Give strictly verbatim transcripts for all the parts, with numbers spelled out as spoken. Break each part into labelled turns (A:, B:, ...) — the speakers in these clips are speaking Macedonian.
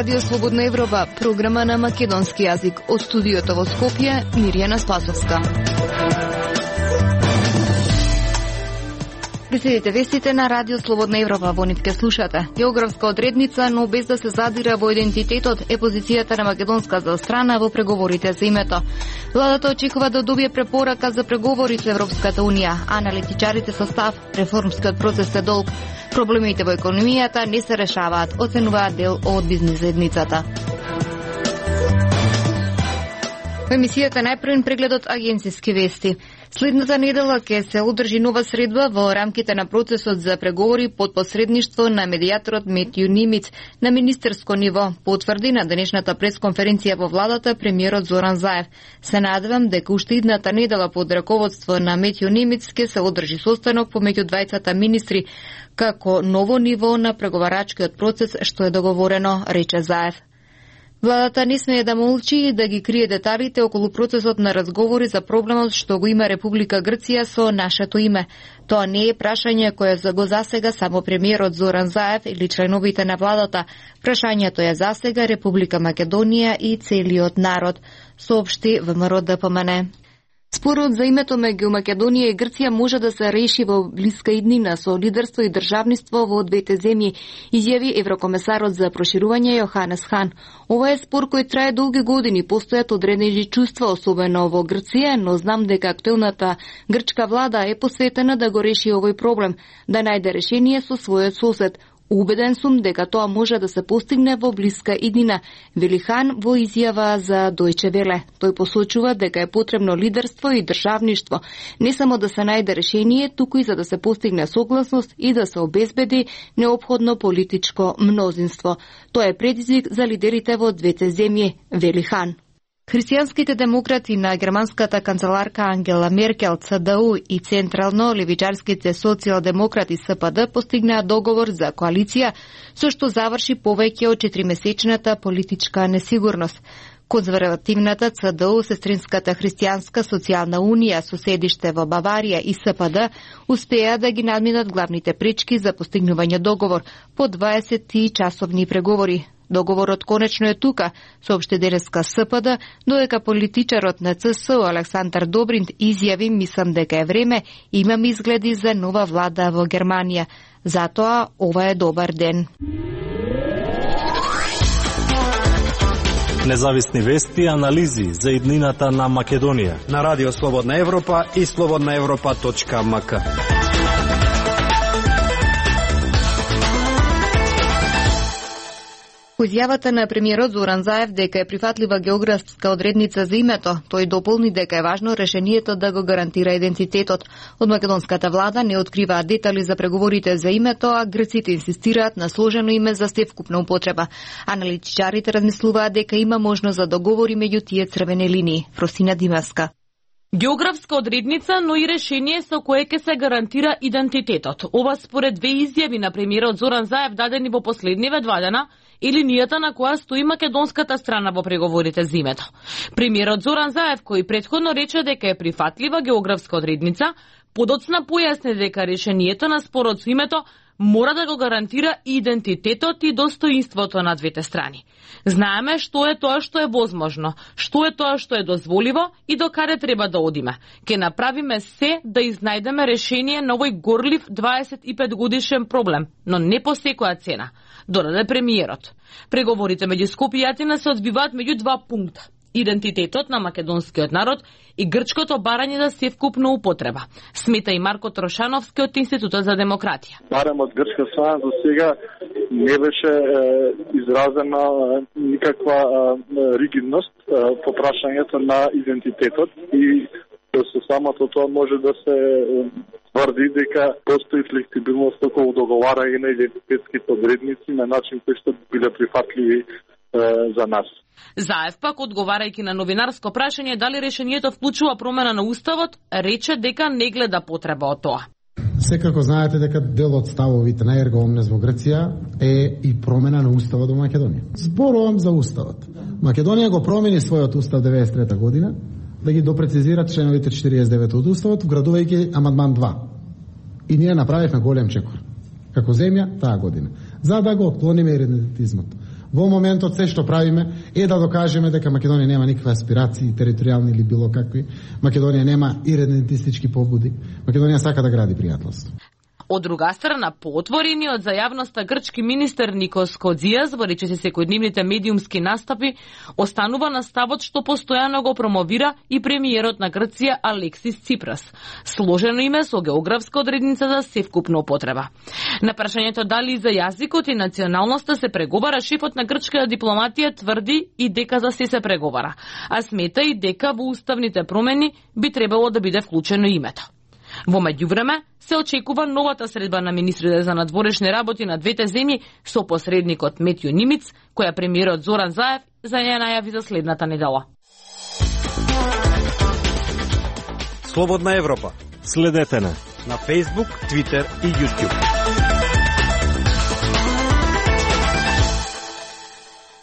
A: Радио Слободна Европа, програма на македонски јазик. Од студиото во Скопје, Мирјана Спасовска. Преследите вестите на Радио Слободна Европа, во нив ке слушате. Географска одредница, но без да се задира во идентитетот, е позицијата на македонската страна во преговорите за името. Владата очекува да добие препорака за преговори со Европската Унија. Аналитичарите со став, реформскиот процес е долг. Проблемите во економијата не се решаваат, оценуваат дел од бизнис заедницата. Во емисијата најпрвен прегледот агенциски вести. Следната недела ќе се одржи нова средба во рамките на процесот за преговори под посредништво на медијаторот Метју Нимиц на министерско ниво, потврди на денешната пресконференција во владата премиерот Зоран Заев. Се надевам дека уште идната недела под раководство на Метју Нимиц ќе се одржи состанок помеѓу двајцата министри како ново ниво на преговарачкиот процес што е договорено, рече Заев. Владата не смее да молчи и да ги крие деталите околу процесот на разговори за проблемот што го има Република Грција со нашето име. Тоа не е прашање кое за го засега само премиерот Зоран Заев или членовите на владата. Прашањето е засега Република Македонија и целиот народ, соопшти ВМРО Д П М Н. Спорот за името меѓу Македонија и Грција може да се реши во блиска иднина со лидерство и државниство во двете земји, изјави еврокомесарот за проширување Јоханес Хан. Ова е спор кој трае долги години, постојат одредени чувства, особено во Грција, но знам дека актуелната грчка влада е посветена да го реши овој проблем, да најде решение со својот сосед. Убеден сум дека тоа може да се постигне во блиска иднина, вели Хан во изјава за Дојче Веле. Тој посочува дека е потребно лидерство и државништво, не само да се најде решение, туку и за да се постигне согласност и да се обезбеди неопходно политичко мнозинство. Тоа е предизвик за лидерите во двете земји, вели Хан. Христијанските демократи на германската канцеларка Ангела Меркел, Ц Д У и централно левичарските социјалдемократи С П Д постигнаа договор за коалиција, со што заврши повеќе од четиримесечната политичка несигурност. Конзервативната Ц Д У, Сестринската христијанска социјална унија со седиште во Баварија и С П Д успеа да ги надминат главните пречки за постигнување договор по дваесет часовни преговори. Договорот конечно е тука, соопшти денеска С П Д, додека политичарот на Ц С Александар Добринт изјави: мислам дека е време, имам изгледи за нова влада во Германија. Затоа ова е добар ден.
B: Независни вести и анализи за иднината на Македонија
C: на Радио Слободна Европа и слободна европа точка м к.
A: По изјавата на премиерот Зоран Заев дека е прифатлива географска одредница за името, тој дополни дека е важно решението да го гарантира идентитетот. Од македонската влада не откриваат детали за преговорите за името, а грците инсистираат на сложено име за севкупна употреба. Аналитичарите размислуваат дека има можност за договори меѓу тие црвени линии. Фросина Димаска.
D: Географска одредница, но и решение со кое ќе се гарантира идентитетот. Ова според две изјави на премиерот Зоран Заев дадени во последниве два дена и линијата на која стои македонската страна во преговорите за името. Премиерот Зоран Заев, кој претходно рече дека е прифатлива географска одредница, подоцна појасни дека решението на спорот со името мора да го гарантира идентитетот и достоинството на двете страни. Знаеме што е тоа што е возможно, што е тоа што е дозволиво и до каде треба да одиме. Ке направиме се да изнајдеме решение на овој горлив дваесет и пет годишен проблем, но не по секоја цена, додаде премиерот. Преговорите меѓу Скопје и Атина се одвиваат меѓу два пункта: идентитетот на македонскиот народ и грчкото барање за севкупна употреба, смета и Марко Трошановски од Институтот за демократија.
E: Барем од грчка страна до сега не беше е, изразена е, никаква е, ригидност е, по прашањето на идентитетот и со самото тоа може да се тврди дека постои флексибилност околу договарање на идентитетските одредници на начин кој што биле прифатливи е, за нас.
D: Заев пак, одговарајќи на новинарско прашање дали решението вклучува промена на уставот, рече дека не гледа потреба од тоа.
F: Секако знаете дека дел од ставовите на Ерго Омнес во Грција е и промена на уставот во Македонија. Зборувам за уставот. Македонија го промени својот устав деветдесет и трета година да ги допрецизира членовите четириесет и девет од уставот, вградувајќи амандман два. И ние направивме голем чекор како земја таа година, за да го отклониме идентитизмот. Во моментот се што правиме е да докажеме дека Македонија нема никакви аспирации, територијални или било какви. Македонија нема иредентистички побуди. Македонија сака да гради пријателство.
D: Од друга страна, поотворениот за јавноста грчки министер Никос Кодзијас во речиси секојдневните медиумски настапи останува на ставот што постојано го промовира и премиерот на Грција Алексис Ципрас. Сложено име со географска одредница за севкупна употреба. На прашањето дали за јазикот и националноста се преговара, шефот на грчката дипломатија тврди и дека за се се преговара, а смета и дека во уставните промени би требало да биде вклучено името. Во меѓувреме се очекува новата средба на министрите за надворешни работи на двете земји со посредникот Метју Нимиц, која премиерот Зоран Заев за ја најави за следната недела.
C: Слободна Европа.
B: Следете на
C: на Facebook, Twitter и YouTube.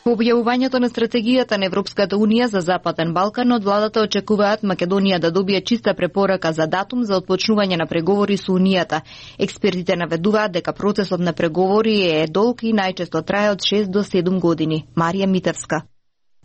A: По објавувањето на стратегијата на Европската Унија за Западен Балкан, од владата очекуваат Македонија да добие чиста препорака за датум за отпочнување на преговори со Унијата. Експертите наведуваат дека процесот на преговори е долг и најчесто трае од шест до седум години. Марија Митевска.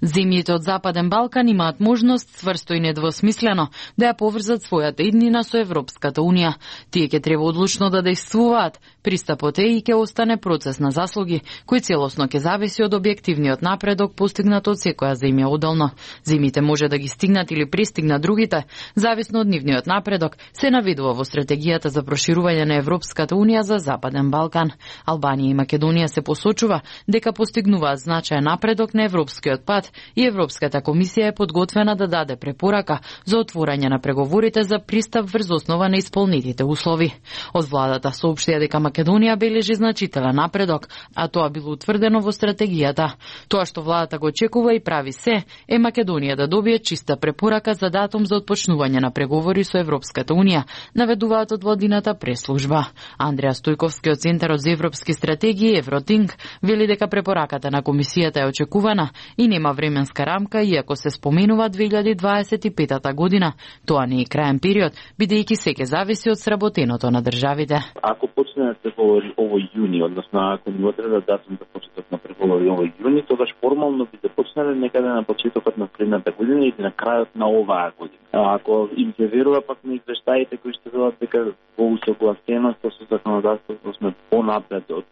G: Земјите од Западен Балкан имаат можност, цврсто и недвосмислено, да ја поврзат својата иднина со Европската Унија. Тие ќе треба одлучно да действуваат. Пристапот е и ќе остане процес на заслуги, кој целосно ќе зависи од објективниот напредок постигнат од секоја земја одделно. Земјите може да ги стигнат или пристигнат другите, зависно од нивниот напредок, се наведува во стратегијата за проширување на Европската Унија за Западен Балкан. Албанија и Македонија се посочува дека постигнуваат значаен напредок на европскиот пат и Европската комисија е подготвена да даде препорака за отворање на преговорите за пристап врз основа на исполнетите услови. Од владата соопштија дека Македонија бележи значителен напредок, а тоа било утврдено во стратегијата. Тоа што владата го очекува и прави се е Македонија да добие чиста препорака за датум за отпочнување на преговори со Европската Унија, наведуваат од владината преслужба. Андреа Стојковски од Центарот за европски стратегии Евротинг вели дека препораката на комисијата е очекувана и нема временска рамка, иако се споменува две илјади дваесет и пета година. Тоа не е краен период, бидејќи се ќе зависи од сработеното на државите.
H: Ако почне да се говори овој јуни, односно ако ни одреда датум за почеток на преговори овој јуни, тогаш формално би се почнале некаде на почетокот на следната година или на крајот на оваа година. А ако им се верува пак на извештаите кои што велат дека во усогласеност со законодавството сме понапред од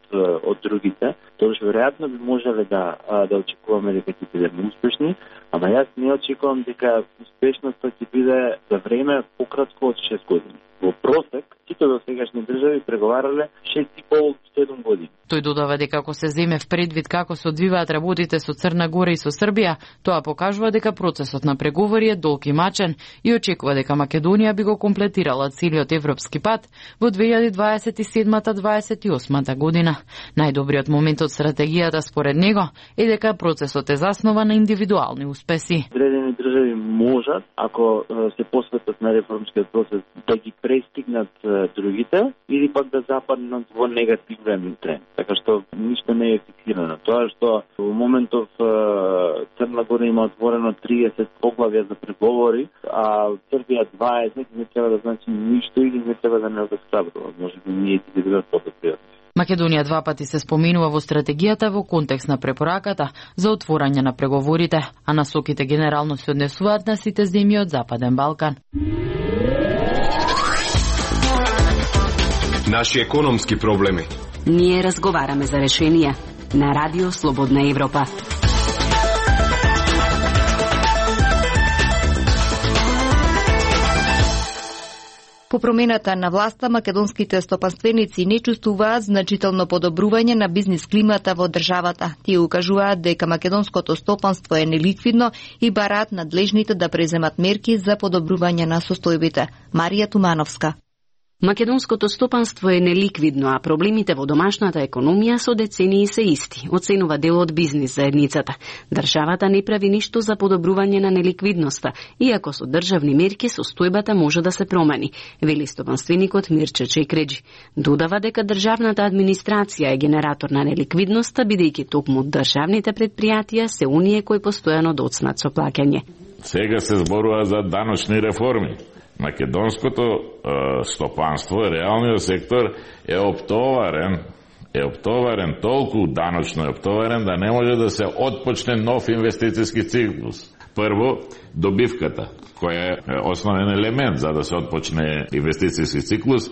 H: од другите, тогаш веројатно би можеле да да очекуваме дека ќе бидеме успешни, ама јас не очекувам дека успешноста ќе биде за време пократко од шест години. Во просек, сите до сегашни држави преговарале шест и пол до седум години.
G: Тој додава дека ако се земе в предвид како се одвиваат работите со Црна Гора и со Србија, тоа покажува дека процесот на преговори е долг и мачен и очекува дека Македонија би го комплетирала целиот европски пат во две илјади дваесет и седма до дваесет и осма година. Најдобриот момент од стратегијата според него е дека процесот е заснова на индивидуални успеси.
H: Одредени држави можат, ако се посветат на реформскиот процес, да ги престигнат другите или пак да западнат во негативен тренд. Така што ништо не е фиксирано. Тоа што во моментов Црна Гора има отворено триесет поглавја за преговори, а Србија дваесет, не треба да значи ништо или не треба да не обесхрабрува. Може би ние ќе бидеме подобри.
G: Македонија два пати се споменува во стратегијата во контекст на препораката за отворање на преговорите, а насоките генерално се однесуваат на сите земји од Западен Балкан.
I: Наши економски проблеми.
J: Ние разговараме за решенија на Радио Слободна Европа.
A: По промената на власта, македонските стопанственици не чувствуваат значително подобрување на бизнис климата во државата. Тие укажуваат дека македонското стопанство е неликвидно и бараат надлежните да преземат мерки за подобрување на состојбите. Марија Тумановска.
J: Македонското стопанство е неликвидно, а проблемите во домашната економија со децении се исти, оценува дел од бизнис заедницата. Државата не прави ништо за подобрување на неликвидноста, иако со државни мерки состојбата може да се промени, вели стопанственикот Мирче Чекреджи. Додава дека државната администрација е генератор на неликвидноста, бидејќи токму државните предпријатија се оние кои постојано доцнат со плаќање.
K: Сега се зборува за даночни реформи. Македонското е, стопанство, реалниот сектор е оптоварен е оптоварен, толку даночно е оптоварен да не може да се отпочне нов инвестициски циклус. Прво, добивката, која е основен елемент за да се отпочне инвестициски циклус,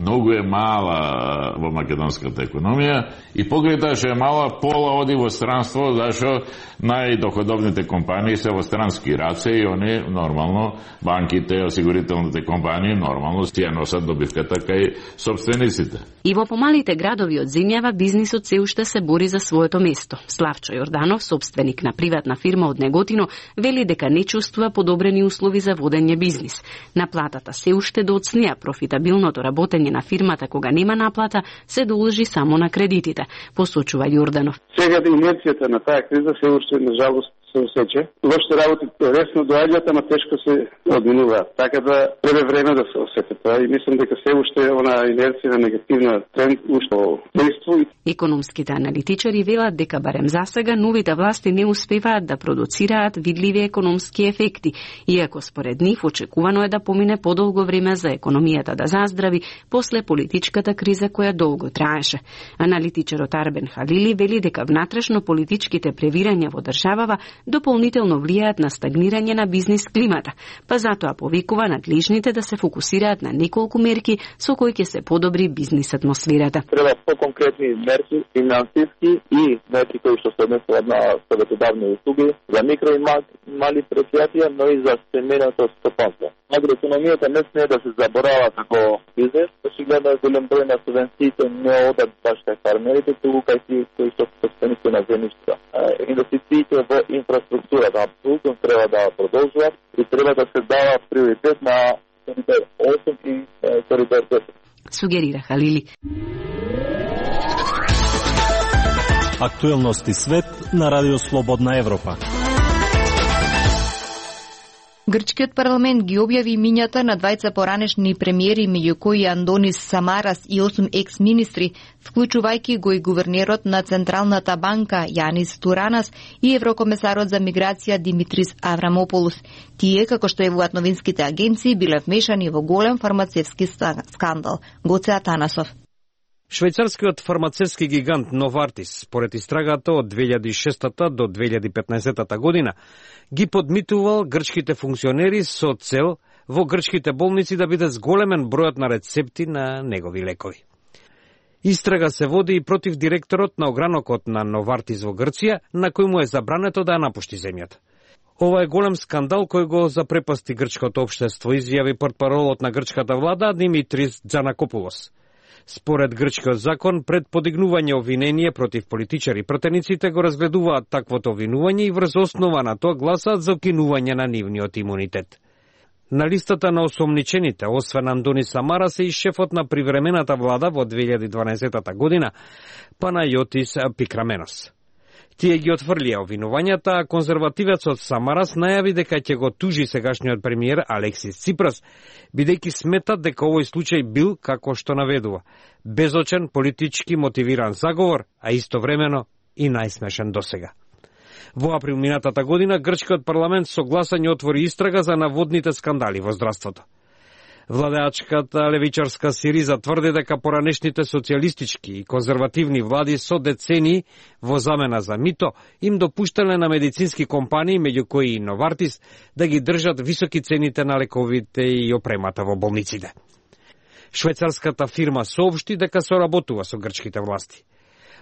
K: многу е мала во македонската економија и покрај тоа што е мала, пола оди во странство, зашто најдоходовните компании се во странски раце и они нормално, банките, осигурителните компании нормално си ја носат добивката кај собствениците.
J: И во помалите градови од земјава бизнисот се уште се бори за своето место. Славчо Јорданов, собственик на приватна фирма од Неготино, вели дека не чувствува подобрени услови за водење бизнис. Наплатата се уште доцнија, профитабилното работење на фирмата кога нема наплата се должи само на кредитите, посочува Јорданов.
L: Сега инерцијата на таа криза се уште на жалост се осеќа. Лошите работи ресно доаѓаат, ама тешко се одминуваат. Така да треба време да се осети тоа и мислам дека се уште она инерција на негативна тренд уште действува.
J: Економските аналитичари велат дека барем засега новите власти не успеваат да продуцираат видливи економски ефекти, иако според нив очекувано е да помине подолго време за економијата да заздрави после политичката криза која долго траеше. Аналитичарот Арбен Халили вели дека внатрешно политичките превирања во државава дополнително влијаат на стагнирање на бизнис климата, па затоа повикува надлежните да се фокусираат на неколку мерки со кои ќе се подобри бизнис атмосферата.
H: Треба по-конкретни мерки финансиски и мерки кои што се однесуваат на советодавни услуги за микро и мали предпријатија, но и за семејното стопанство. Агроекономијата не смее да се заборава како бизнес, очигледно е голем број на субвенциите не одат баш кај фармерите, туку кај тие кои што се собственици на земјишта. Инвестициите во инфраструктурата апсолутно треба да продолжуваат и треба да се дава приоритет на коридор осум и коридор десет.
J: Сугерира Халили.
B: Актуелности свет на Радио Слободна Европа.
A: Грчкиот парламент ги објави имињата на двајца поранешни премиери, меѓу кои Андонис Самарас и осум екс-министри, вклучувајќи го и гувернерот на Централната банка Јанис Туранас и еврокомесарот за миграција Димитрис Аврамополус. Тие, како што евуваат новинските агенции, биле вмешани во голем фармацевски скандал. Гоце Атанасов.
C: Швајцарскиот фармацевски гигант Новартис, според истрагата од две илјади и шеста до две илјади и петнаесета година, ги подмитувал грчките функционери со цел во грчките болници да биде зголемен бројот на рецепти на негови лекови. Истрага се води и против директорот на огранокот на Новартис во Грција, на кој му е забрането да ја напушти земјата. Ова е голем скандал кој го запрепасти грчкото општество, изјави портпаролот на грчката влада Димитрис Џанакопулос. Според грчкиот закон, пред подигнување обвинение против политичари, пратениците го разгледуваат таквото обвинување и врз основа на тоа гласаат за укинување на нивниот имунитет. На листата на осомничените, освен Андонис Самарас е и шефот на привремената влада во две илјади и дванаесета година, Панајотис Пикраменос. Тие ги отфрлија обвинувањата, а конзервативецот Самарас најави дека ќе го тужи сегашниот премиер Алексис Ципрас, бидејќи сметат дека овој случај бил, како што наведува, безочен, политички мотивиран заговор, а истовремено и најсмешен досега. Во април минатата година грчкиот парламент со гласање отвори истрага за наводните скандали во здравството. Владеачката левичарска Сириза тврди дека поранешните социјалистички и конзервативни влади со децении во замена за мито им допуштале на медицински компании, меѓу кои и Новартис, да ги држат високи цените на лековите и опремата во болниците. Швајцарската фирма соопшти дека соработува со грчките власти.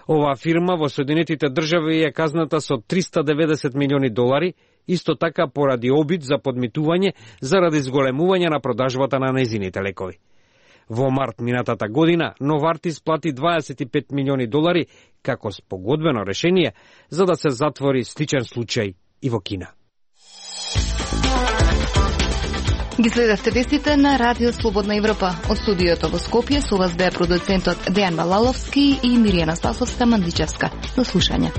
C: Оваа фирма во Соединетите држави е казната со триста деветдесет милиони долари, исто така поради обид за подмитување заради зголемување на продажбата на нејзините лекови. Во март минатата година Новартис плати дваесет и пет милиони долари како спогодбено решение за да се затвори сличен случај и во Кина.
A: Ги следевте вестите на Радио Слободна Европа. Од студиото во Скопје со вас беа продуцентот Дејан Балаловски и Миријана Спасовска Мандичевска. До слушање.